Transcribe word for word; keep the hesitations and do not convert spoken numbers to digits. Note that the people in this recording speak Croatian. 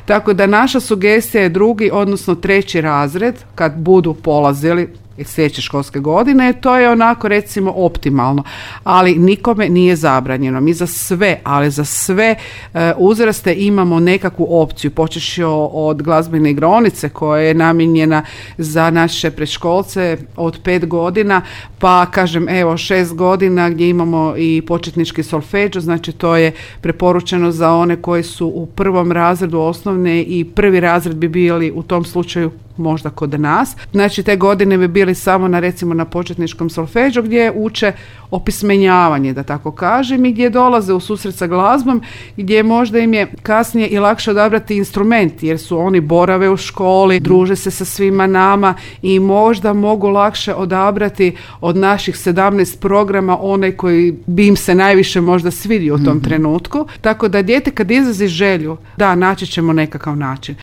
Tako da naša sugestija je drugi, odnosno treći razred, kad budu polazili sljedeće školske godine, to je onako recimo optimalno, ali nikome nije zabranjeno. Mi za sve, ali za sve e, uzraste imamo nekakvu opciju, počeši od glazbene igraonice koja je namijenjena za naše predškolce od pet godina, pa kažem evo šest godina gdje imamo i početnički solfeđo, znači to je preporučeno za one koji su u prvom razredu osnovne i prvi razred bi bili u tom slučaju možda kod nas. Znači te godine bi bili samo na recimo na početničkom solfeđu gdje uče opismenjavanje, da tako kažem, i gdje dolaze u susret sa glazbom, gdje možda im je kasnije i lakše odabrati instrument, jer su oni borave u školi, druže se sa svima nama i možda mogu lakše odabrati od naših sedamnaest programa onaj koji bi im se najviše možda svidio u tom mm-hmm. trenutku. Tako da dijete kad izrazi želju, da, naći ćemo nekakav način.